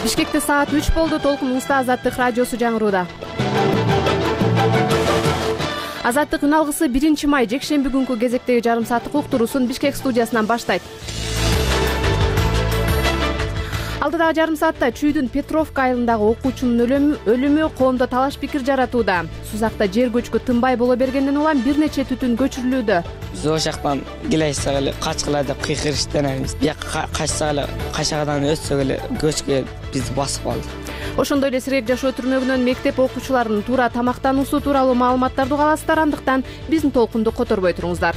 Бишкекте саат 3 болду. Толкун Уста Азаттык радиосу жаңырууда. Азаттык үн алгысы 1 май жекшемби күнкү кезектеги жарым сааттык уктуруусун Бишкек студиясынан баштайт. Алдыдагы жарым саатта Чүйдүн Петровка айылындагы окуучунун өлүмү коомдо талаш пикир жаратууда. Сузакта жер көчкү тынбай боло бергенден улам бир нече түтүн көчүрүлүүдө. Биз ошол жактан келесек эле качкыла деп кыйкырыштанабыз. Бияка качсак эле качагадан өтсөк эле көчкү бизди басып калды. Ошондой эле Сирек жашоо түрмөгүнөн мектеп окуучуларынын туура тамактануусу тууралуу маалыматтарды уга аласыздар, андыктан биздин толкунду которбой туруңуздар.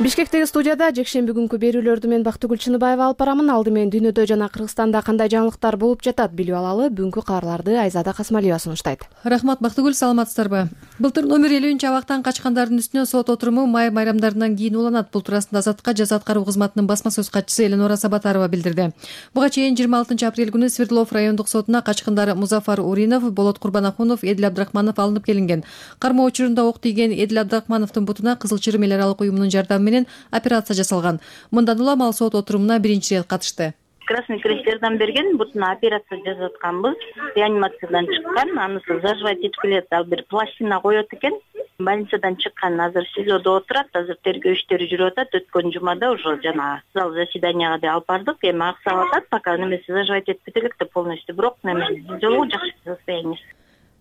Бишкектеги студияда жекшемби күнкү берүүлөрдү мен Бактыгүл Чыныбаева алып барамын. Алды менен дүйнөдө жана Кыргызстанда кандай жаңылыктар болуп жатат билип алалы. Бүгүнкү кабарларды Айзада Касмалиева сунуштайт. Рахмат Бактыгүл, саламатсыздарбы? Былтыр номер 50-абактан качкандардын үстүнө сот отуруму май байрамдарынан кийин уланат. Бул туурасында Азаттыкка жаза аткаруу кызматынын басма сөз катчысы Эленора Сабатарова билдирди. Буга чейин 26 апрель күнү Свердлов райондук сотуна качкандар Музафар Уринов, Болот Курбанахунов, Эдил Абдрахманов алынып келинген. Кармоо учурунда ок тийген Эдил Абдрахмановдун бутуна Кызыл Чырым эл аралык уюмунун жардамы менен операция жасалган. Мындан улам ал сот отурумуна биринчи ирет катышты. Красный Крест жардам берген, бутуна операция жасап атканбыз. Реанимациядан чыккан, анысы заживать этилет, ал бир пластина коет экен. Больницадан чыккан, азыр СИЗОдо отурат, азыр тергөө иштери жүрүп атат. Өткөн жумада уже жана зал заседанияга да алып бардык. Эми аксап атат, пока немеси заживать этпей элек да полностью, бирок немеси жолу жакшы состояние.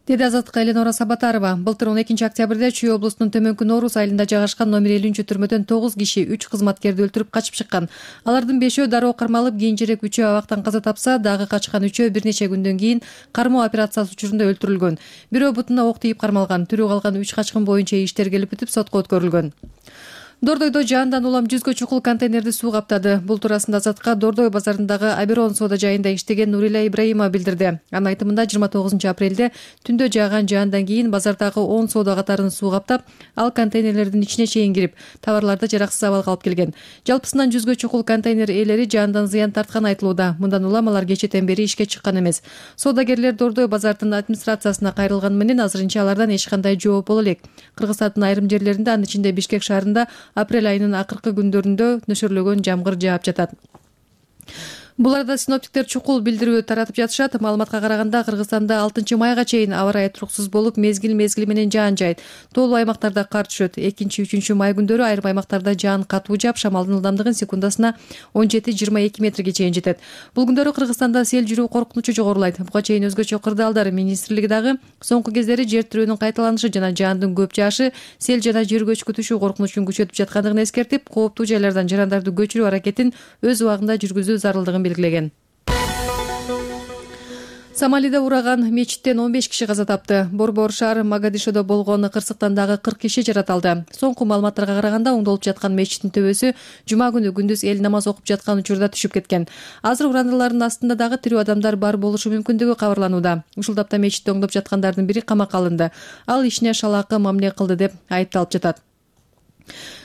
Деди Азаттыкка Эленора Сабатарова. Былтыр 12 октябрда Чүй облусунун Төмөнкү Норус айылында жайгашкан номер 50 түрмөдөн 9 киши 3 кызматкерди өлтүрүп качып чыккан. Алардын 5-өө дароо кармалып, кийинчерээк 3-өө абактан каза тапса, дагы качкан 3-өө бир нече күндөн кийин кармоо операциясы учурунда өлтүрүлгөн. Бирөө бутуна ок тийип кармалган. Тирүү калган 3 качкын боюнча иштер келип бүтүп сотко өткөрүлгөн. Дордойдо жаандан улам 100гө чукул контейнерди суу каптады. Бул туурасында Азатка Дордой базарындагы Аберон соода жайында иштеген Нурила Ибраимова билдирди. Анын айтымында 29 апрелде түндө жааган жаандан кийин базардагы 10 соода катарын суу каптап, ал контейнерлердин ичине чейин кирип, товарларды жараксыз абалга алып келген. Жалпысынан 100гө чукул контейнер ээлери жаандан зыян тартканы айтылууда. Мындан улам алар кечэтен бери ишке чыккан эмес. Соодагерлер Дордой базардын администрациясына кайрылганы менен азырынча алардан эч кандай жооп боло элек. Кыргызстандын айрым жерлеринде, анын ичинде Бишкек шаарында апрель айынын акыркы күндөрүндө нөшөрлөгөн жамгыр жаап жатат. Бул арада синоптиктер чукул билдирүү таратып жатышат. Маалыматка караганда Кыргызстанда 6 майга чейин аба ырайы туруксуз болуп, мезгил менен жаан жайт. Тоолуу аймактарда кар түшөт. 2-3 май күндөрү айрым аймактарда жаан катуу жаап, шамалдын ылдамдыгы секундасына 17-22 метрге чейин жетет. Бул күндөрү Кыргызстанда сел жүрүү коркунучу жогорулайт. Буга чейин өзгөчө кырдаалдар министрлиги дагы соңку кездери жер тирөөнүн кайталанышы жана жаандын көп жаашы сел жана жер көчкү түшүү коркунучун күчөтүп жаткандыгын эскертип, кооптуу жайлардан жарандарды көчүрүү аракетин өз убагында жүргүзүү зарылдыгын белгилеген. Сомалиде ураган мечиттен 15 киши каза тапты. Борбор шаар Магадишодо болгон кырсыктан дагы 40 киши жараталды. Соңку маалыматтарга караганда оңдолуп жаткан мечиттин төбөсү жума күнү күндүз эл намаз окуп жаткан учурда түшүп кеткен. Азыр урандылардын астында дагы тирүү адамдар бар болушу мүмкүндүгү кабарланууда. Ушул тапта мечитти оңдоп жаткандардын бири камакка алынды. Ал ишине шалаакы мамиле кылды деп айыпталып жатат.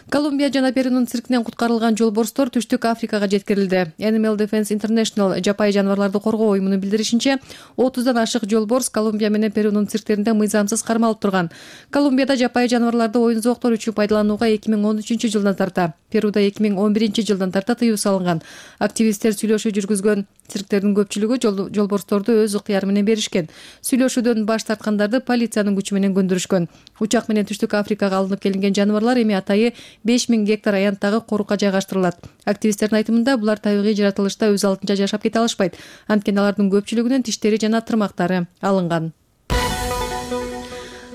Колумбия жана Перунун циркинен куткарылган жолборстор Түштүк Африкага жеткирилди. Animal Defense International жапайы жаныбарларды коргоо уюмунун билдиришинче, 30дан ашык жолборс Колумбия менен Перунун цирктеринде мыйзамсыз кармалып турган. Колумбияда жапайы жаныбарларды оюн зооктор үчүн пайдаланууга 2013 жылдан тарта, Перуда 2011 жылдан тарта тыюу салынган. Активисттер сүйлөшүү жүргүзгөн цирктердин көпчүлүгү жолборсторду өз ыктыяры менен беришкен. Сүйлөшүүдөн баш тарткандарды полициянын күчү менен көндүрүшкөн. Учак менен Түштүк Африкага алынып келинген жаныбарлар эми атайы 5000 гектар аянттагы корукка жайгаштырылат. Активисттердин айтымында булар табигый жаратылышта өз алдынча жашап кете алышпайт. Анткени алардын көпчүлүгүнүн тиштери жана тырмактары алынган.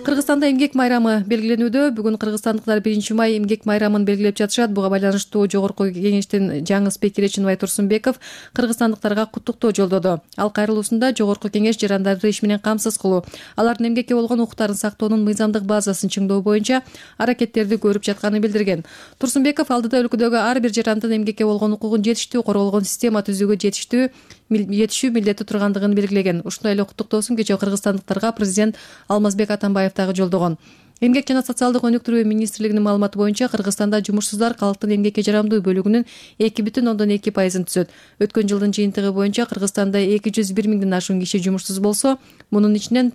Кыргызстанда эмгек майрамы белгиленүүдө. Бүгүн кыргызстандыктар 1 май эмгек майрамын белгилеп жатышат. Буга байланыштуу Жогорку Кеңештин жаңы спикери Чыныбай Турсунбеков кыргызстандыктарга куттуктоо жолдоду. Ал кайрылуусунда Жогорку Кеңеш жарандарды иш менен камсыз кылуу, алардын эмгекке болгон укуктарын сактоонун мыйзамдык базасын чыңдоо боюнча аракеттерди көрүп жатканын билдирген. Турсунбеков алдыда өлкөдөгү ар бир жарандын эмгекке болгон укугун жетиштүү корголгон система түзүүгө жетишүү милдети тургандыгын белгилеген. Ушундай эле куттуктоосун кечээ кыргызстандыктарга президент Алмазбек Атамбаев дагы жолдогон. Эмгек жана социалдык өнүктүрүү министрлигинин маалыматы боюнча Кыргызстанда жумушсуздар калктын эмгекке жарамдуу бөлүгүнүн 2,2% түзөт. Өткөн жылдын жыйынтыгы боюнча Кыргызстанда 201 миңден ашуун киши жумушсуз болсо, мунун ичинен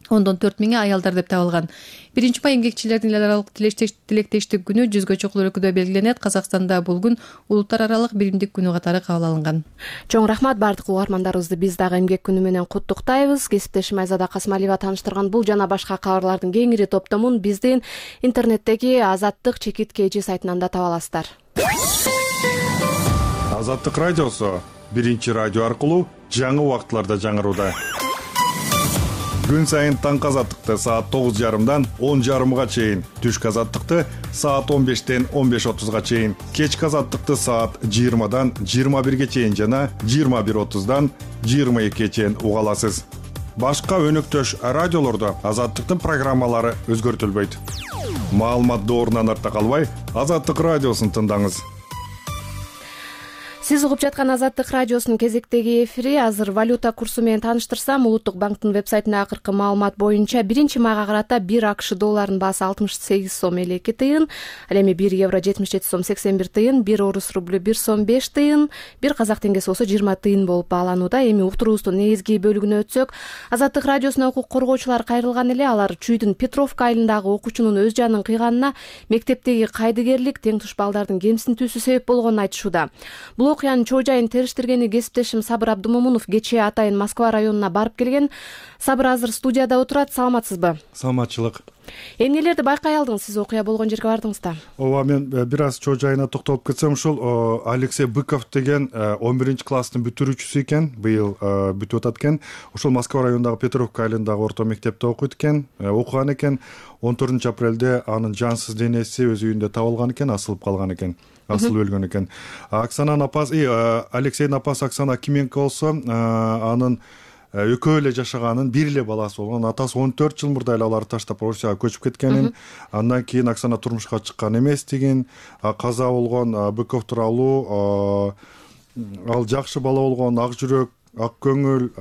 миңи аялдар деп табылган. 1 май эмгекчилердин эл аралык тилектештик күнү жүзгө чукул өлкөдө белгиленет. Казакстанда бул күн улуттар аралык биримдик күнү катары кабыл алынган. Чоң рахмат бардык угармандарыбызды биз дагы эмгек күнү менен куттуктайбыз. Кесиптешим Айзада Касымалиева тааныштырган бул жана башка кабарлардын кеңири топтомун биздин интернеттеги Азаттык ЧК сайтынан да таба аласыздар. Азаттык радиосу биринчи радио аркылуу жаңы убактыларда жаңырууда. Күн сайын таңкы азаттыкты саат 9:30 10:30 чейин, түшкү азаттыкты саат 15-тен 15:30 чейин, кечки азаттыкты саат 20-дан 21 чейин жана 21:30-дан 22 чейин уга аласыз. Башка өнөктөш радиолордо азаттыктын программалары өзгөртүлбөйт. Маалымат доорунан артта калбай, Азаттык радиосун тыңдаңыз. Сиз угуп жаткан Азаттык радиосунун кезектеги эфири. Азыр валюта курсу менен тааныштырсам, Улуттук банктын вебсайтында акыркы маалымат боюнча 1 майга карата 1 АКШ долларынын баасы 68 сом 52 тыйын, ал эми 1 евро 77 сом 81 тыйын, 1 орус рублю 1 сом 5 тыйын, 1 казак теңгеси болсо 20 тыйын болуп бааланууда. Эми уктуруубуздун негизги бөлүгүнө өтсөк, Азаттык радиосуна укук коргоочулар кайрылган эле. Алар Чүйдүн Петровка айылындагы окуучунун өз жанын кыйганына мектептеги кайдыгерлик, тең туш балдардын кемсинтүүсү себеп болгонун айтышууда. Бул окуянын чоо жайын териштиргени кесиптешим Сабыр Абдымомунов кечээ атайын Москва районуна барып келген. Сабыр азыр студияда отурат. Саламатсызбы? Саламатчылык. Эмнелерди байкай алдыңыз? Сиз окуя болгон жерге бардыңыз да? Ооба, мен бир аз чоо жайына токтолуп кетсем, ушул Алексей Быков деген 11-класстын бүтүрүүчүсү экен, быйыл бүтүп атат экен. Ошол Москва районундагы Петровка айылындагы орто мектепте окуйт экен, окуган экен. 14-апрелде анын жансыз денеси өз үйүндө табылган экен, асылып калган экен. Асылып өлгөн экен. Оксананын апасы, Алексейдин апасы Оксана Кименко болсо, анын экөө эле жашаганын, бир эле баласы болгон. Атасы 14 жыл мурда эле аларды таштап Россияга көчүп кеткенин, андан кийин Оксана турмушка чыккан эместигин, каза болгон Быков тууралуу, ал жакшы бала болгон, ак жүрөк, ак көңүл,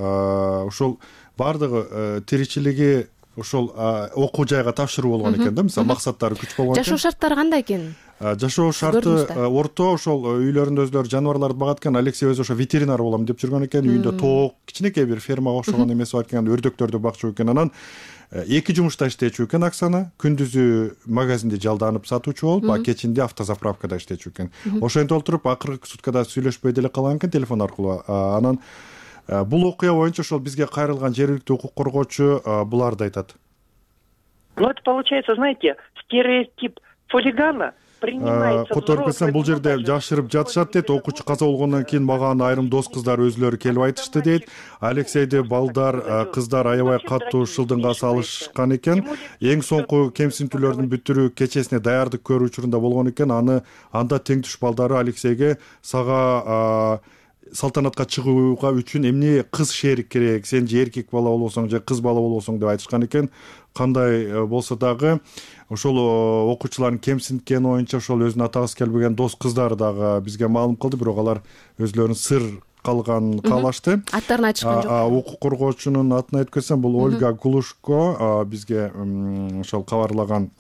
ошол бардыгы тиричилиги ошол окуу жайга тапшыруу болгон экен да, мисалы максаттары күч болгон экен. Жашоо шарттары кандай экен? Жашоо шарты орто, ошол үйлөрүндө өздөрү жаныбарларды багат экен. Алексей өзү ошо ветеринар болом деп жүргөн экен. Үйүндө тоок, кичинекей бир фермага окшогон эмеси бар экен, өрдөктөрдү бакчу экен. Анан 2 жумушта иштечү экен Оксана. Күндүзү магазинде жалданып сатуучу болуп, кечинде автозаправкада иштечү экен. Ошентип олтуруп акыркы суткада сүйлөшпөй деле калган экен телефон аркылуу. Анан бул окуя боюнча ошол бизге кайрылган жергиликтүү укук коргоочу буларды айтат. Ну, это получается, знаете, стереотип хулигана принимается. Которуп кетсем, бул жерде жашырып жатышат дейт. Окуучу каза болгондон кийин мага айрым дос кыздар өзлөрү келип айтышты дейт. Алексейди балдар, кыздар аябай катуу шылдыңга салышкан экен. Эң соңку кемсинтүүлөрдүн бүтүрүү кечесине даярдык көрүү учурунда болгон экен. Анда тең туш балдары Алексейге сага салтанатка чыгууга үчүн эмне кыз шерик керек, сен же эркек бала болбосоң же кыз бала болбосоң деп айтышкан экен. Кандай болсо дагы ошол окуучулардын кемсинткени боюнча ошол өзүнүн атагысы келбеген дос кыздары дагы бизге маалым кылды, бирок алар өзлөрүнүн сыр каалашты. Аттарын айтышкан жок. Укук коргоочунун атын айтып кетсем, бул Ольга Глушко, бизге ошол кабарлаган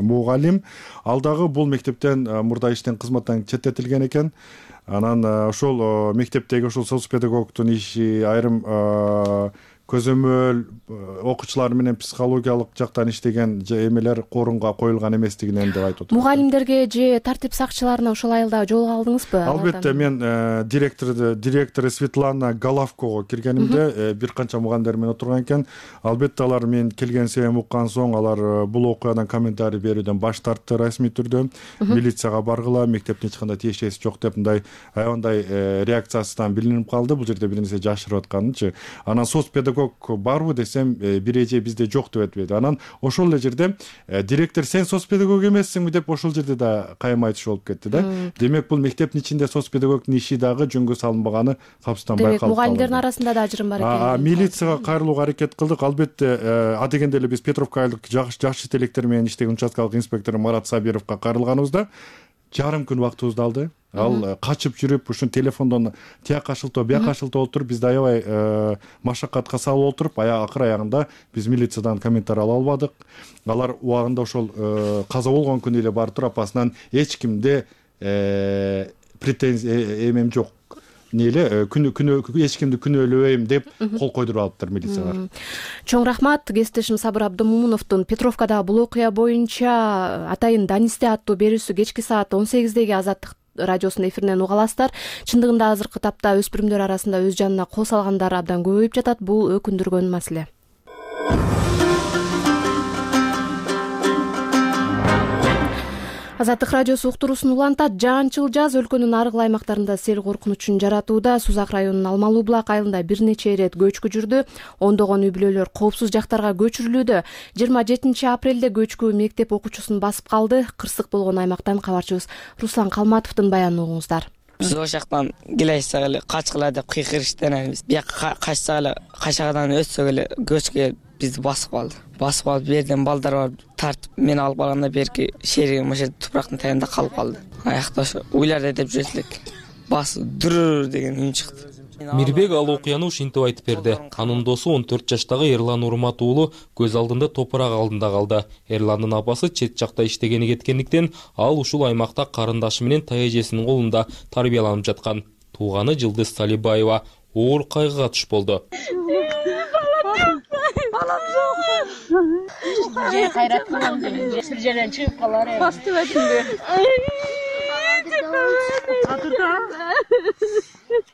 мугалим. Ал дагы бул мектептен мурда иштен кызматтан четтетилген экен. Анан ошол мектептеги ошол соц педагогтун иши айрым көзөмөл окуучулар менен психологиялык жактан иштеген эмелер корунга коюлган эместигинен деп айтып атат. Мугалимдерге же тартип сакчыларына ошол айылда жолуга алдыңызбы? Албетте, мен директору Светлана Головкого киргенимде бир канча мугалимдер менен отурган экен. Албетте алар мен келген себебин уккан соң алар бул окуядан комментарий берүүдөн баш тартты расмий түрдө. Милицияга баргыла, мектептин эч кандай тиешеси жок деп мындай аябай реакциясынан билинип калды. Бул жерде бир нерсе жашырып атканынчы. Анан соц педагог барбы десем, бир эже бизде жок деп айтып. Анан ошол эле жерде директор сен соц педагог эмессиңби деп ошол жерде да кайым айтыш болуп кетти да. Демек бул мектептин ичинде соц педагогдун иши дагы жөнгө салынбаганы капсытан байкалып калды. Демек мугалимдердин арасында да ажырым бар экен. Милицияга кайрылууга аракет кылдык. Албетте, адегенде эле биз Петровка айылдык жакшы тилектер менен иштеген участкалык инспектор Марат Сабировго кайрылганыбызда жарым күн убактыбызды алды. Ал качып жүрүп, ушун телефондон тияка шылтоо, бияка шылтоо отуруп, бизди аябай машакатка салып отуруп, акыр аягында биз милициядан комментарий ала албадык. Алар убагында ошол каза болгон күнү эле барып туруп, апасынан эч кимде претензия эмем жок. эле эч кимди күнөөлөбөйм деп кол койдуруп алыптыр милициялар. Чоң рахмат. Кесиптешим Сабыр Абдымомуновдун Петровкадагы бул окуя боюнча атайын Данисте аттуу берүүсү кечки саат 18деги Азаттык радиосунун эфиринен уга аласыздар. Чындыгында азыркы тапта өспүрүмдөр арасында өз жанына кол салгандар абдан көбөйүп жатат. Бул өкүндүргөн маселе. Азаттык радиосу уктуруусун улантат. Жаанчыл жаз өлкөнүн ар кыл аймактарында сел коркунучун жаратууда. Сузак районунун Алмалуу булак айылында бир нече ирет көчкү жүрдү. Ондогон үй бүлөлөр коопсуз жактарга көчүрүлүүдө. 27 апрелде көчкү мектеп окуучусун басып калды. Кырсык болгон аймактан кабарчыбыз Руслан Калматовдун баянын угуңуздар. Биз ошол жактан келесек эле качкыла деп кыйкырыштан элебиз. Бияка качсак эле качагадан өтсөк эле көчкү бизди басып калды. Басып алып берден балдар бар тартып мени алып калганда берки шеригим ошо тупрактын таягында калып калды. Аякта ошо уйларды деп жүрөт элек. Басып дүрүр деген үн чыкты. Мирбек ал окуяны ушинтип айтып берди. Анын досу 14 жаштагы Эрлан Урмат уулу көз алдында топурак алдында калды. Эрландын апасы чет жакта иштегени кеткендиктен ал ушул аймакта карындашы менен таяжесинин колунда тарбияланып жаткан. Тууганы Жылдыз Салибаева оор кайгыга туш болду. Балам жок. Же кайрат кылам деп, бир жерден чыгып калар эми. Бастып этинде.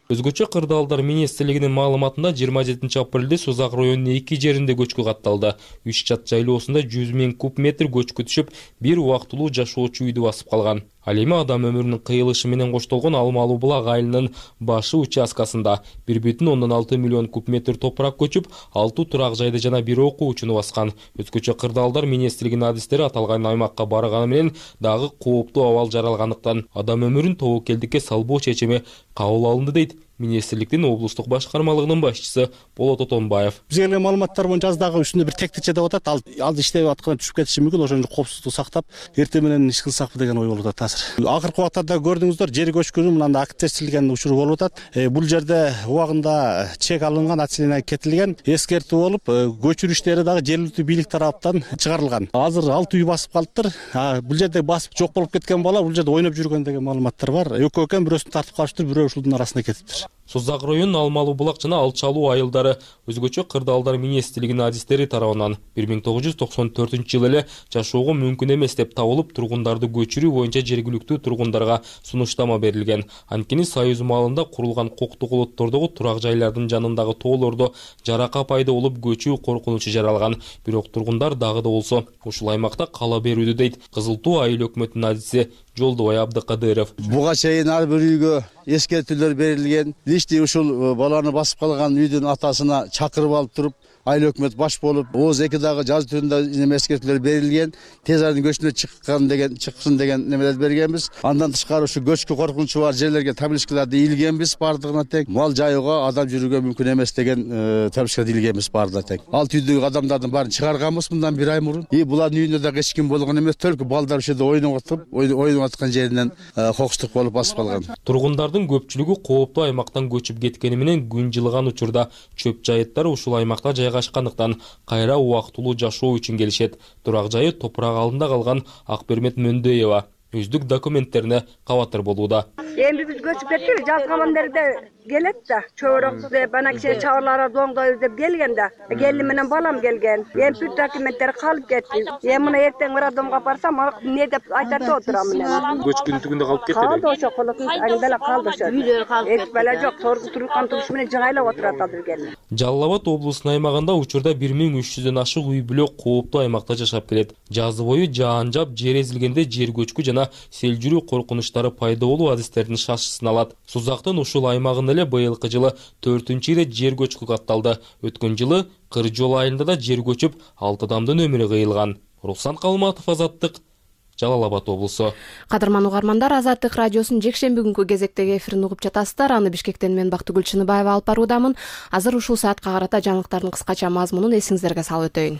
Өзгөчө кырдаалдар министрлигинин маалыматында 27 апрелде Сузак районунун 2 жеринде көчкү катталды. 3 чат жайлоосунда 100 000 куб метр көчкү түшүп, бир убактылуу жашоочу үйдү басып калган. Ал эми адам өмүрүнүн кыйылышы менен коштолгон Алмалуу булак айылынын башы участкасында 1,6 миллион куб метр топурак көчүп, 6 турак жайды жана бир окуучуну баскан. Өзгөчө кырдаалдар министрлигинин адистери аталган аймакка барганы менен дагы кооптуу абал жаралгандыктан адам өмүрүн тобокелдикке салбоо чечими кабыл алынды дейт министрликтин облустук башкармалыгынын башчысы Болот Отонбаев. Бизге келген маалыматтар боюнча жаздагы үстүндө бир тектикче деп атат. Ал иштеп атканда түшүп кетиши мүмкүн. Ошону коопсуздукту сактап, эртең менен иш кылсакпы деген ой болуп атат азыр. Акыркы убактарда көрдүңүздөр, жер көчкүнүн мындай активдешилген учуру болуп атат. Бул жерде убагында чек алынган, отчисление кетилген, эскертүү болуп, көчүрүү иштери дагы жергиликтүү бийлик тараптан чыгарылган. Азыр 6 үй басып калыптыр. Бул жерде басып жок болуп кеткен бала бул жерде ойноп жүргөн деген маалыматтар бар. Экөө экен, бирөөсүн тартып калыптыр, бирөө ушулдун арасына кетиптир. Сузак районунун Алмалуу булак жана Алчалуу айылдары өзгөчө кырдаалдар министрлигинин адистери тарабынан 1994 жылы эле жашоого мүмкүн эмес деп табылып, тургундарды көчүрүү боюнча жергиликтүү тургундарга сунуштама берилген. Анткени Союз маалында курулган коктук олоттордогу турак жайлардын жанындагы тоолордо жарака пайда болуп, көчүү коркунучу жаралган. Бирок тургундар дагы да болсо ушул аймакта кала берүүдө дейт Кызыл Туу айыл өкмөтүнүн адиси Жолдубай Абдыкадыров. Буга чейин ар бир үйгө эскертүүлөр берилген. Личный ушул баланы басып калган үйдүн атасына чакырып алып туруп, айыл өкмөт баш болуп, ооз 2 дагы жазуу түрүндө эскертүүлөр берилген. Тез арада көчүнө чыксын деген немелер бергенбиз. Андан тышкары ушу көчкү коркунучу бар жерлерге табличкаларды илгенбиз бардыгына тең. Мал жайууга, адам жүрүүгө мүмкүн эмес деген табличкаларды илгенбиз бардыгына тең. 6 үйдөгү адамдардын баарын чыгарганбыз мындан 1 ай мурун. Булардын үйүндө дагы эч ким болгон эмес, только балдар ошо ойноп аткан жеринен кокустук болуп басып калган. Тургундардын көпчүлүгү кооптуу аймактан көчүп кеткени менен күн жылыган учурда чөп жайыттары ушул аймакта жайгашкандыктан кайра убактылуу жашоо үчүн келишет. Турак жайы топурак алдында калган Акбермет Мөндөева өздүк документтерине кабатыр болууда. Эми биз көчүп кеттик, жазган жерде келет да, чөбөрөк деп, ана киши чабарлары доңдойбуз деп келген да. Келин менен балам келген. Эми бүт документтер калып кетти. Эми мына эртең бир адамга барсам, эмне деп айтат деп отурам мен. Көчкүнүн түгүндө калып кетти. Калды ошо колотун аңдала калды ошо. Үйлөр калды. Эч бала жок, турган туруш менен жыңайлап отурат азыр келин. Жалал Абад облусунун аймагында учурда 1300дөн ашык үй бүлө кооптуу аймакта жашап келет. Жазы бою жаан жап, жер эзилгенде жер көчкү жана сел жүрүү коркунучтары пайда болуу адистердин шашысын алат. Сузактын ушул аймагында эле быйылкы жылы 4-чү ирет жер көчкү катталды. Өткөн жылы Кыр жол айылында да жер көчүп, 6 адамдын өмүрү кыйылган. Руслан Калматов, Азаттык, Жалал Абад облусу. Кадырман угармандар, Азаттык радиосунун жекшемби күнкү кезектеги эфирин угуп жатасыздар. Аны Бишкектен мен Бактыгүл Чыныбаева алып баруудамын. Азыр ушул саатка карата жаңылыктардын кыскача мазмунун эсиңиздерге салып өтөйүн.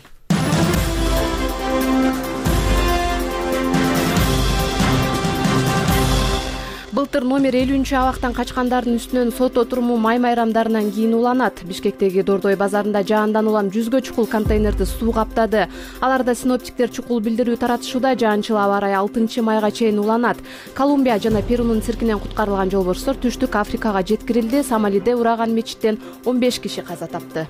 Былтыр номер 50 абактан качкандардын үстүнөн сот отуруму май майрамдарынан кийин уланат. Бишкектеги Дордой базарында жаандан улам 100гө чукул контейнерди суу каптады. Аларда синоптиктер чукул билдирүү таратышууда. Жаанчыл аба ырайы 6-майга чейин уланат. Колумбия жана Перунун циркинен куткарылган жолборчтор Түштүк Африкага жеткирилди. Сомалиде ураган мечиттен 15 киши каза тапты.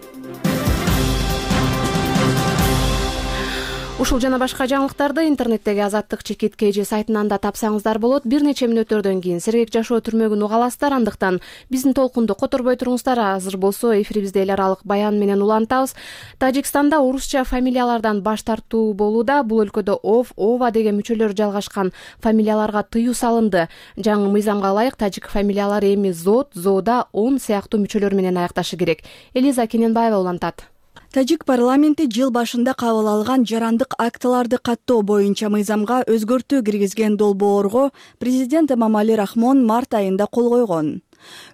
Ушул жана башка жаңылыктарды интернеттеги Азаттык чекит KG сайтынан да тапсаңыздар болот. Бир нече мүнөттөрдөн кийин сергек жашоо түрмөгүн уга аласыздар. Андыктан биздин толкунду которбой туруңуздар. Азыр болсо эфирибизде эл аралык баян менен улантабыз. Тажикстанда орусча фамилиялардан баш тартуу болууда. Бул өлкөдө Ов, Ова деген мүчөлөр жалгашкан фамилияларга тыюу салынды. Жаңы мыйзамга ылайык тажик фамилиялары эми Зод, Зода, Он сыяктуу мүчөлөр менен аякташы керек. Элиза Кененбаева улантат. Тажик парламенти жыл башында кабыл алган жарандык актыларды каттоо боюнча мыйзамга өзгөртүү киргизген долбоорго президент Эмомали Рахмон март айында кол койгон.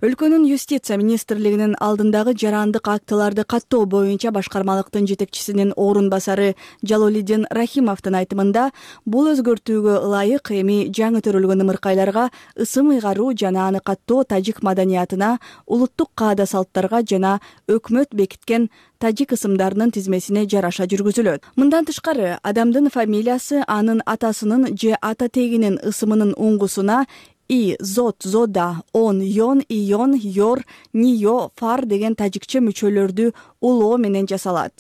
Өлкөнүн юстиция министрлигинин алдындагы жарандык актыларды каттоо боюнча башкармалыктын жетекчисинин орун басары Жалолиддин Рахимовдун айтымында бул өзгөртүүгө ылайык эми жаңы төрөлгөн ымыркайларга ысым ыйгаруу жана аны каттоо тажик маданиятына, улуттук каада салттарга жана өкмөт бекиткен тажик ысымдарынын тизмесине жараша жүргүзүлөт. Мындан тышкары адамдын фамилиясы анын атасынын же ата тегинин ысымынын уңгусуна И, Зод, Зода, Он, Йон, Ион, Йор, Нио, Фар деген тажикче мүчөлөрдү улоо менен жасалат.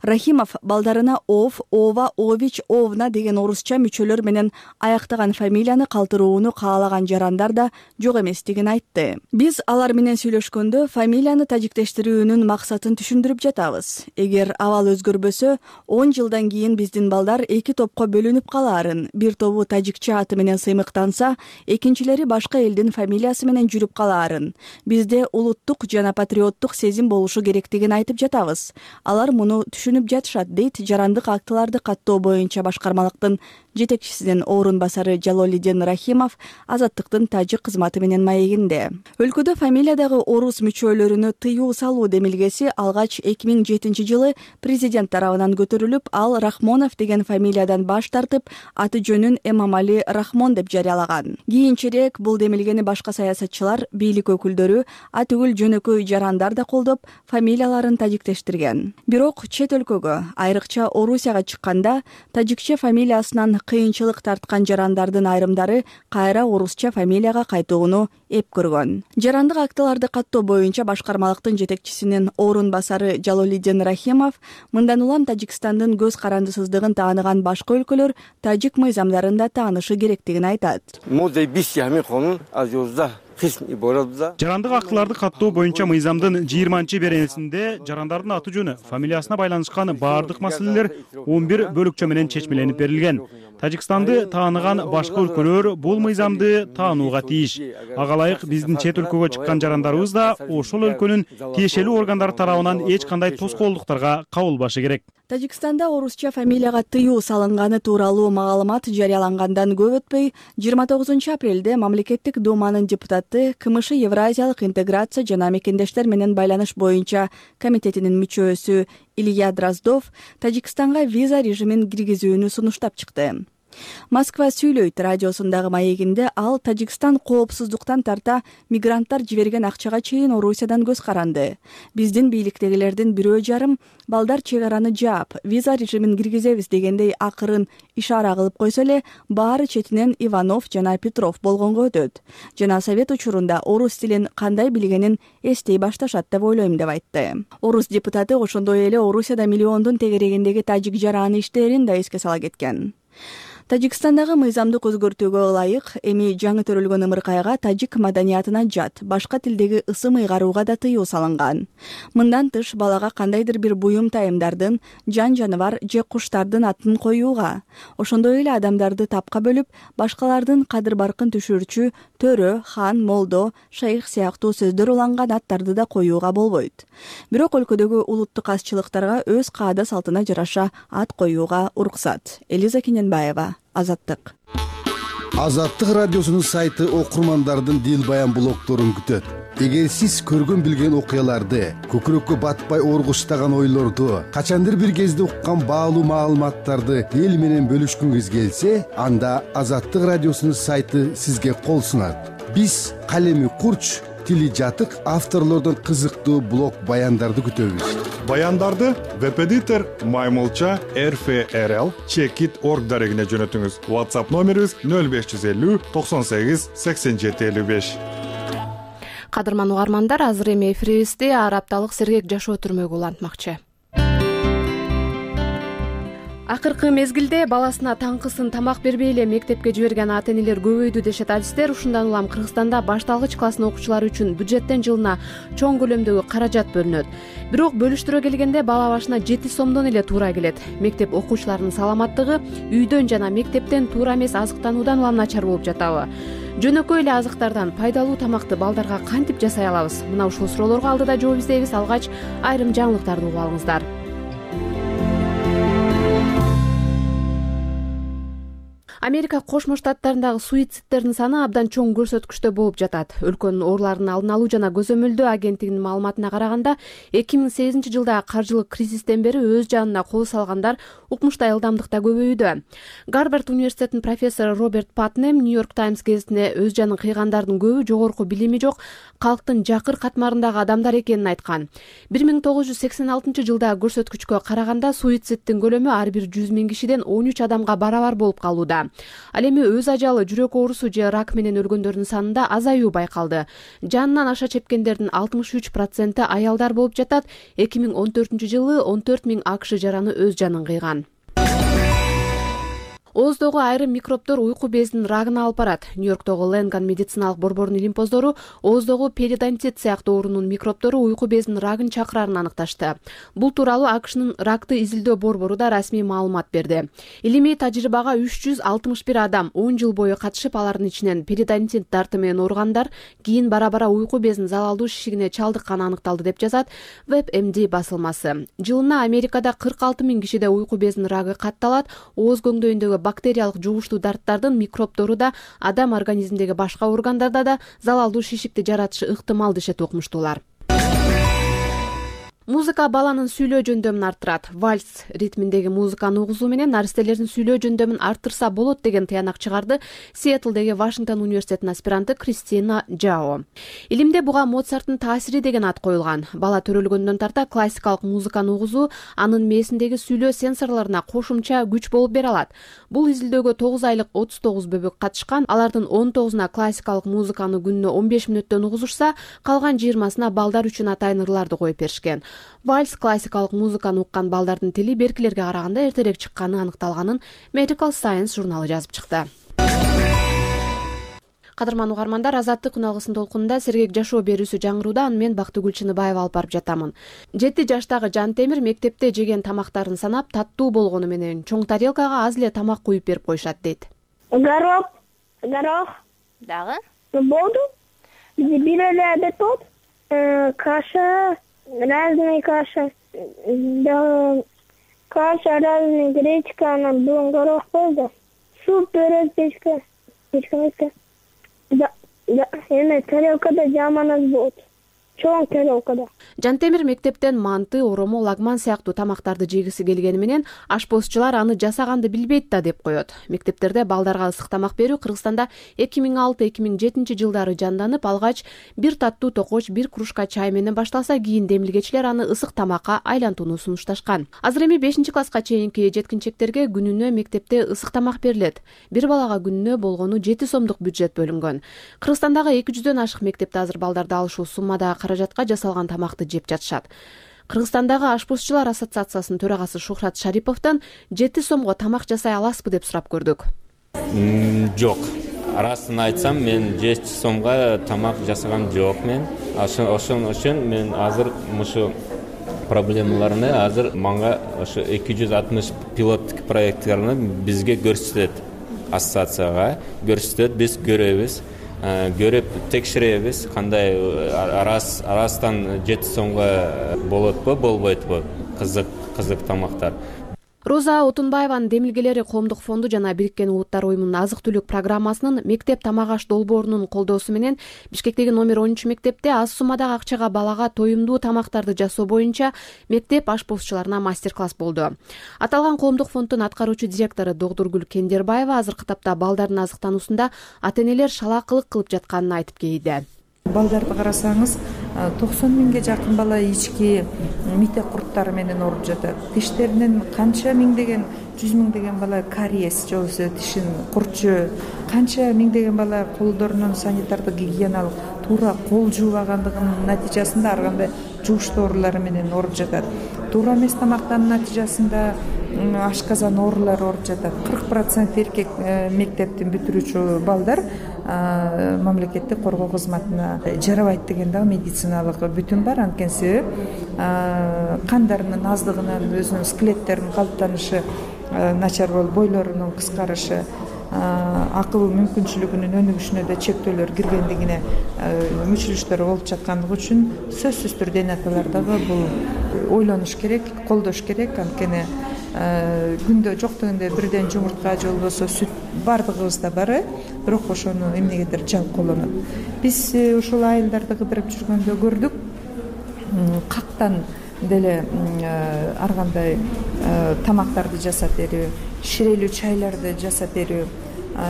Рахимов балдарына Ов, Ова, Ович, Овна деген орусча мүчөлөр менен аяктаган фамилияны калтырууну каалаган жарандар да жок эместигин айтты. Биз алар менен сүйлөшкөндө фамилияны тажиктештирүүнүн максатын түшүндүрүп жатабыз. Эгер абал өзгөрбөсө, 10 жылдан кийин биздин балдар 2 топко бөлүнүп калаарын, бир тобу тажикче аты менен сыймыктанса, экинчилери башка элдин фамилиясы менен жүрүп калаарын. Бизде улуттук жана патриоттук сезим болушу керектигин айтып жатабыз. Алар муну түшүнүп жатышат, дейт жарандык актыларды каттоо боюнча башкармалыктын жетекчисинин орун басары Жалолиддин Рахимов Азаттыктын тажик кызматы менен маегинде. Өлкөдө фамилиядагы орус мүчөлөрүнө тыюу салуу демилгеси алгач 2007 жылы президент тарабынан көтөрүлүп, ал Рахмонов деген фамилиядан баш тартып, аты жөнүн Эмомали Рахмон деп жарыялаган. Кийинчерээк бул демилгени башка саясатчылар, бийлик өкүлдөрү, атүгүл жөнөкөй жарандар да колдоп, фамилияларын тажиктештирген. Бирок чет өлкөгө, айрыкча Орусияга чыкканда, тажикче фамилиясынан кыйынчылык тарткан жарандардын айрымдары кайра орусча фамилияга кайтууну эп көргөн. Жарандык актыларды каттоо боюнча башкармалыктын жетекчисинин орун басары Жалолиддин Рахимов мындан улам Тажикстандын көз карандысыздыгын тааныган башка өлкөлөр тажик мыйзамдарын да таанышы керектигин айтат. Жарандык актыларды каттоо боюнча мыйзамдын 20-беренесинде жарандардын аты жөнү, фамилиясына байланышкан баардык маселелер 11 бөлүкчө менен чечмеленип берилген. Тажикстанды тааныган башка өлкөлөр бул мыйзамды таанууга тийиш. Ага ылайык биздин чет өлкөгө чыккан жарандарыбыз да ошол өлкөнүн тиешелүү органдары тарабынан эч кандай тоскоолдуктарга кабылбашы керек. Тажикстанда орусча фамилияга тыюу салынганы тууралуу маалымат жарыялангандан көп өтпөй, 29 апрелде мамлекеттик думанын депутаты КМШ Евразиялык интеграция жана мекендештер менен байланыш боюнча комитетинин мүчөсү Илья Дроздов Тажикстанга виза режимин киргизүүнү сунуштап чыкты. Москва сүйлөйт радиосундагы маегинде ал Тажикстан коопсуздуктан тарта мигранттар жиберген акчага чейин Орусиядан көз каранды. Биздин бийликтегилердин бирөө жарым балдар чек араны жаап, виза режимин киргизебиз дегендей акырын ишара кылып койсо эле, баары четинен Иванов жана Петров болгонго өтөт. Жана совет учурунда орус тилин кандай билгенин эстей башташат деп ойлойм деп айтты. Орус депутаты ошондой эле Орусияда миллиондун тегерегиндеги тажик жараны иштерин да эске сала кеткен. Тажикстандагы мыйзамдык өзгөртүүгө ылайык эми жаңы төрөлгөн ымыркайга тажик маданиятына жат башка тилдеги ысым ыйгарууга да тыюу салынган. Мындан тыш балага кандайдыр бир буюм тайымдардын, жан жаныбар же куштардын атын коюуга, ошондой эле адамдарды тапка бөлүп, башкалардын кадыр баркын түшүрчү төрө, хан, молдо, шейх сыяктуу сөздөр уланган аттарды да коюуга болбойт. Бирок өлкөдөгү улуттук азчылыктарга өз каада салтына жараша ат коюуга уруксат. Элиза Кененбаева, Азаттык. Азаттык радиосунун сайты окурмандардын дил баян блогторун күтөт. эгер сиз көргөн билген окуяларды, көкүрөккө батпай ооргуштаган ойлорду, качандыр бир кезде уккан баалуу маалыматтарды эл менен бөлүшкүңүз келсе, анда Азаттык радиосунун сайты сизге кол сунат. Биз калеми курч, тили жатык авторлордон кызыктуу блог баяндарды күтөбүз. Баяндарды веб-эдитор Маймылча RFRL Checkit.org дарегине жөнөтүңүз. WhatsApp номерибиз 0550 98 87 55. Кадырман угармандар, азыр эми эфирибизде ар апталык сергек жашоо түрмөгү улантмакчы. Акыркы мезгилде баласына таңкысын тамак бербей эле мектепке жиберген ата-энелер көбөйдү дешет адистер. Ушундан улам Кыргызстанда башталгыч класстын окуучулары үчүн бюджеттен жылына чоң көлөмдөгү каражат бөлүнөт. Бирок бөлүштүрө келгенде бала башына 7 сомдон эле туура келет. Мектеп окуучуларынын саламаттыгы үйдөн жана мектептен туура эмес азыктануудан улам начар болуп жатабы? Жөнөкөй эле азыктардан пайдалуу тамакты балдарга кантип жасай алабыз? Мына ушул суроолорго алдыда жооп издейбиз. Алгач айрым жаңылыктарды угуп алыңыздар. Америка Кошмо Штаттарындагы суицидтердин саны абдан чоң көрсөткүчтө болуп жатат. Өлкөнүн ооруларын алдын алуу жана көзөмөлдөө агенттигинин маалыматына караганда, 2008 жылда каржылык кризистен бери өз жанына кол салгандар укмуштай ылдамдыкта көбөйүүдө. Гарвард университетинин профессору Роберт Патнем Нью-Йорк Таймс гезитине өз жанын кыйгандардын көбү жогорку билими жок, калктын жакыр катмарындагы адамдар экенин айткан. 1986 жылдагы көрсөткүчкө караганда суицидтин көлөмү ар бир 100 000 кишиден 13 адамга барабар болуп калууда. Ал эми өз ажалы, жүрөк оорусу же рак менен өлгөндөрдүн санында азаюу байкалды. Жанынан аша чепкендердин 63% аялдар болуп жатат. 2014 жылы 14 000 АКШ жараны өз жанын кыйган. Ооздогу айрым микробдор уйку безинин рагына алып барат. Нью-Йорктогу Ленган медициналык борборунун илимпоздору ооздогу перидонтит сыяктуу оорунун микробдору уйку безинин рагын чакырарын аныкташты. Бул тууралуу АКШнын ракты изилдөө борбору да расмий маалымат берди. Илимий тажрыйбага 361 адам 10 жыл бою катышып, алардын ичинен перидонтит дарты менен ооругандар кийин бара-бара уйку безинин залалдуу шишигине чалдыкканы аныкталды деп жазат WebMD басылмасы. Жылына Америкада 46 000 кишиде уйку безинин рагы катталат. Ооз көңдөйүндөгү бактериялык жугуштуу дарттардын микробдору да адам организминдеги башка органдарда да залалдуу шишикти жаратышы ыктымал дешет окумуштуулар. Музыка баланын сүйлөө жөндөмүн арттырат. Вальс ритминдеги музыканы угузуу менен наристелердин сүйлөө жөндөмүн арттырса болот деген тыянак чыгарды Сиэтлдеги Вашингтон университетинин аспиранты Кристина Джао. Илимде буга Моцарттын таасири деген ат коюлган. Бала төрөлгөндөн тарта классикалык музыканы угузуу анын мээсиндеги сүйлөө сенсорлоруна кошумча күч болуп бере алат. Бул изилдөөгө 9 айлык 39 бөбөк катышкан. Алардын 19-уна классикалык музыканы күнүнө 15 мүнөттөн угузушса, калган 20-сына балдар үчүн атайын ырларды коюп беришкен. Вальс классикалык музыканы уккан балдардын тили беркилерге караганда эртерээк чыкканы аныкталганын Medical Science журналы жазып чыкты. Кадырман угармандар, Азаттык күн алгысын толкунунда сергек жашоо берүүсү жаңырууда. Аны мен Бактыгүл Чыныбаева алып барып жатамын. 7 жаштагы Жантемир мектепте жеген тамактарын санап, таттуу болгону менен чоң тарелкага аз эле тамак куюп берип коюшат дейт. Горох дагы болду. Бир эле обед болду. Каша, разные каша, каша разные, гречка, горох болды. Суп, пирог, печка. Да, эми тарелкада жаманат болот. Чоң тарелкада. Жантемир мектептен манты, оромо, лагман сыяктуу тамактарды жегиси келгени менен ашпозчулар аны жасаганды билбейт да деп коет. Мектептерде балдарга ысык тамак берүү Кыргызстанда 2006-2007 жылдары жанданып, алгач бир таттуу токоч, бир кружка чай менен башталса, кийин демилгечилер аны ысык тамакка айлантууну сунушташкан. Азыр эми 5-класска чейинки жеткинчектерге күнүнө мектепте ысык тамак берилет. Бир балага күнүнө болгону 7 сомдук бюджет бөлүнгөн. Кыргызстандагы 200дөн ашык мектепте азыр балдарды алышуу суммадагы каражатка жасалган тамакты жеп жатышат. Кыргызстандагы ашпозчулар ассоциациясынын төрагасы Шухрат Шариповдон 7 сомго тамак жасай аласызбы деп сурап көрдүк. Жок. Арасын айтсам, мен 7 сомго тамак жасаган жокмун. Ошон үчүн мен азыр мушу проблемаларны азыр манга ошо 260 пилоттук проекттарны бизге көрсөтөт. Ассоциацияга көрсөтөт, биз көрөбүз. Көрүп текшеребиз, кандай арастан 7 сомго болотпу, болбойтпу кызык тамактар. Роза Отунбаеванын демилгелери Коомдук фонду жана Бириккен Улуттар уюмунун азык-түлүк программасынын мектеп тамак аш долбоорунун колдоосу менен Бишкектеги номер 10 мектепте аз суммадагы акчага балага тоюмдуу тамактарды жасоо боюнча мектеп ашпозчуларына мастер-класс болду. Аталган Коомдук фонддун аткаруучу директору Догдургүл Кендербаева азыркы тапта балдардын азыктануусунда ата-энелер шалаакылык кылып жатканын айтып келди. Балдарды карасаңыз 90 миңге жакын бала ички мите курттары менен ооруп жатат. Тиштеринен канча миңдеген, 100 миңдеген бала кариес же болбосо тишин курчу, канча миңдеген бала колдорунун санитардык гигиеналык туура кол жуубагандыгынын натыйжасында ар кандай жууш доорулары менен ооруп жатат. Туура эмес тамактануу натыйжасында ашказан оорулары ооруп жатат. 40% эркек мектептин бүтүрүүчү балдар мамлекеттик коргоо кызматына жарабайт деген дагы медициналык бүтүн бар. Анткени себеп кандарынын аздыгынан өзүнүн скелеттеринин калыптанышы начар болуп, бойлорунун кыскарышы, акыл мүмкүнчүлүгүнүн өнүгүшүнө да чектөөлөр киргендигине мүчүлүштөр болуп жаткандыгы үчүн сөзсүз түрдө эне аталар дагы бул ойлонуш керек, колдош керек. Анткени күндө жок дегенде бирден жумуртка же болбосо сүт бардыгыбызда бар, бирок ошону эмнегедир жалп колонот. Биз ушул айылдарды кыдырып жүргөндө көрдүк, кактан деле ар кандай тамактарды жасап берүү, ширелүү чайларды жасап берүү,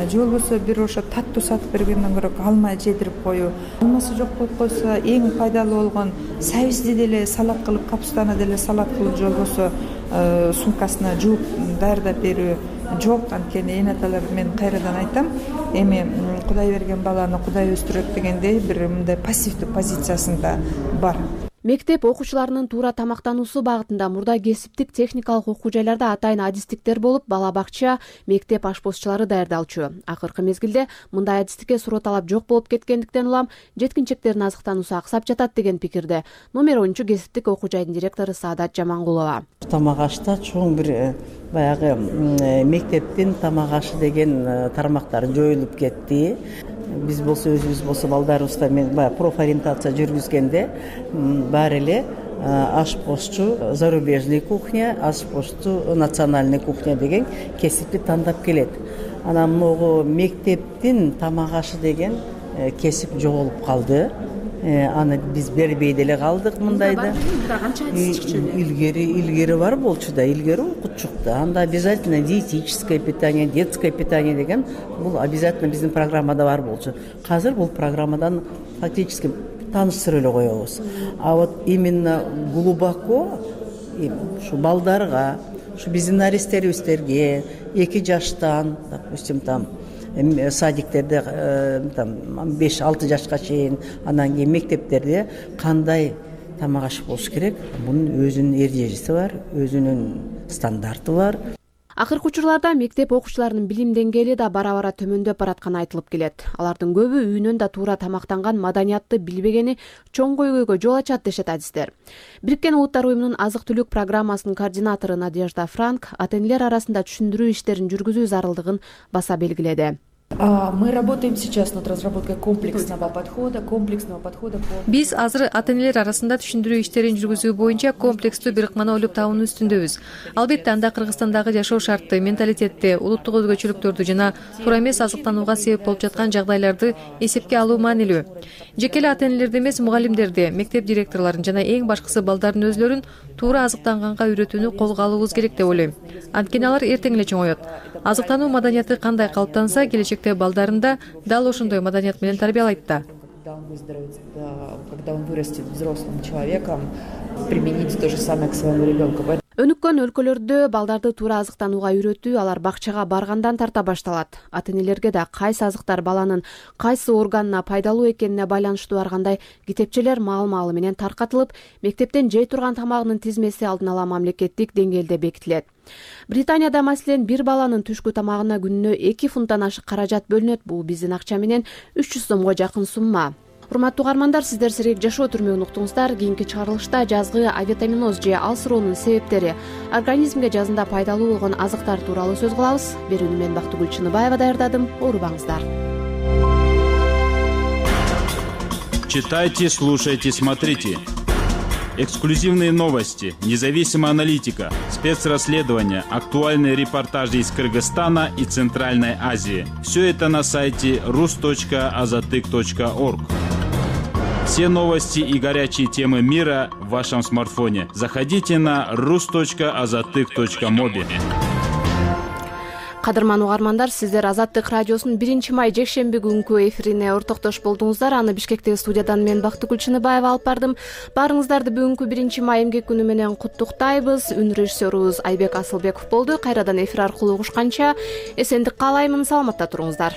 же болбосо бир ошо таттуу сатып бергенден көрө алма жедирип коюу. Алмасы жок болуп койсо эң пайдалуу болгон сабизди деле салат кылып, капустаны деле салат кылып, же болбосо сумкасына жууп даярдап берүү жок. Анткени эне аталар, мен кайрадан айтам, эми Кудай берген баланы Кудай өстүрөт дегендей бир мындай пассивдүү позициясында бар. Мектеп окуучуларынын туура тамактануусу багытында мурда кесиптик техникалык окуу жайларда атайын адистиктер болуп, бала бакча, мектеп ашпозчулары даярдалчу. Акыркы мезгилде мындай адистикке суроо талап жок болуп кеткендиктен улам жеткинчектердин азыктануусу аксап жатат деген пикирде номер 10 кесиптик окуу жайдын директору Саадат Жамангулова. Тамак ашта чоң бир баягы мектептин тамак ашы деген тармактар жоюлуп кетти. Биз болсо өзүбүз болсо балдарыбызда мен баягы профориентация жүргүзгөндө баары эле ашпозчу зарубежный кухня, ашпозчу национальный кухня деген кесипти тандап келет. Анан могу мектептин тамак ашы деген кесип жоголуп калды. Аны биз бербей деле калдык мындайда. Илгери бар болчу да, илгери окутчук да. Анда обязательно диетическое питание, детское питание деген бул обязательно биздин программада бар болчу. Азыр бул программадан фактически тааныштырып эле коебуз. А вот именно глубоко ушу балдарга, ушу биздин наристерибизге 2 жаштан, допустим, там садиктерде 5-6 жашка чейин, анан кийин мектептерде кандай тамак аш болуш керек? Бунун өзүнүн эрежеси бар, өзүнүн стандарты бар. Акыркы учурларда мектеп окуучуларынын билим деңгээли да бара-бара төмөндөп баратканы айтылып келет. Алардын көбү үйүнөн да туура тамактанган маданиятты билбегени чоң көйгөйгө жол ачат дешет адистер. Бириккен Улуттар уюмунун азык-түлүк программасынын координатору Надежда Франк ата-энелер арасында түшүндүрүү иштерин жүргүзүү зарылдыгын баса белгиледи. Мы работаем сейчас над разработкой комплексного подхода. Биз азыр ата-энелер арасында түшүндүрүү иштерин жүргүзүү боюнча комплекстүү бир ыкманы ойлоп табуунун үстүндөбүз. Албетте анда Кыргызстандагы жашоо шартты, менталитетти, улуттук өзгөчөлүктөрдү жана туура эмес азыктанууга себеп болуп жаткан жагдайларды эсепке алуу маанилүү. Жеке эле ата-энелерди эмес, мугалимдерди, мектеп директорлорун жана эң башкысы балдардын өзлөрүн туура азыктанганга үйрөтүүнү колго алуубуз керек деп ойлойм. Анткени алар эртең эле чоңоет. Азыктануу маданияты кандай калыптанса, келечекте балдарында дал ошондой маданият менен тарбиялайт да. Когда он вырастет взрослым человеком, применить то же самое к своему ребенку. Өнүккөн өлкөлөрдө балдарды туура азыктанууга үйрөтүү алар бакчага баргандан тарта башталат. Ата-энелерге да кайсы азыктар баланын кайсы органына пайдалуу экенине байланыштуу ар кандай китепчелер маал-маалы менен таркатылып, мектептен жей турган тамагынын тизмеси алдын ала мамлекеттик деңгээлде бекитилет. Британияда маселен бир баланын түшкү тамагына күнүнө 2 фунттан ашык каражат бөлүнөт. Бул биздин акча менен 300 сомго жакын сумма. Урматтуу угармандар, сиздер сирек жашоо түрмөгүн уктуңуздар. Кийинки чыгарылышта жазгы авитаминоз же алсыроонун себептери, организмге жазында пайдалуу болгон азыктар тууралуу сөз кылабыз. Берүүнү мен Бактыгүл Чыныбаева даярдадым. Оорубаңыздар. Читайте, слушайте, смотрите. Эксклюзивные новости, независимая аналитика, спецрасследования, актуальные репортажи из Кыргызстана и Центральной Азии. Все это на сайте rus.azatyk.org. Все новости и горячие темы мира в вашем смартфоне. Заходите на rus.azatyk.mobi. Кадырман угармандар, сиздер Азаттык радиосунун 1 май жекшемби күнкү эфирине ортоктош болдуңуздар. Аны Бишкектеги студиядан мен Бактыгүл Чыныбаева алып бардым. Баарыңыздарды бүгүнкү 1 май эмгек күнү менен куттуктайбыз. Үн режиссерубуз Айбек Асылбеков болду. Кайрадан эфир аркылуу угушканча эсендик каалаймын. Саламатта туруңуздар.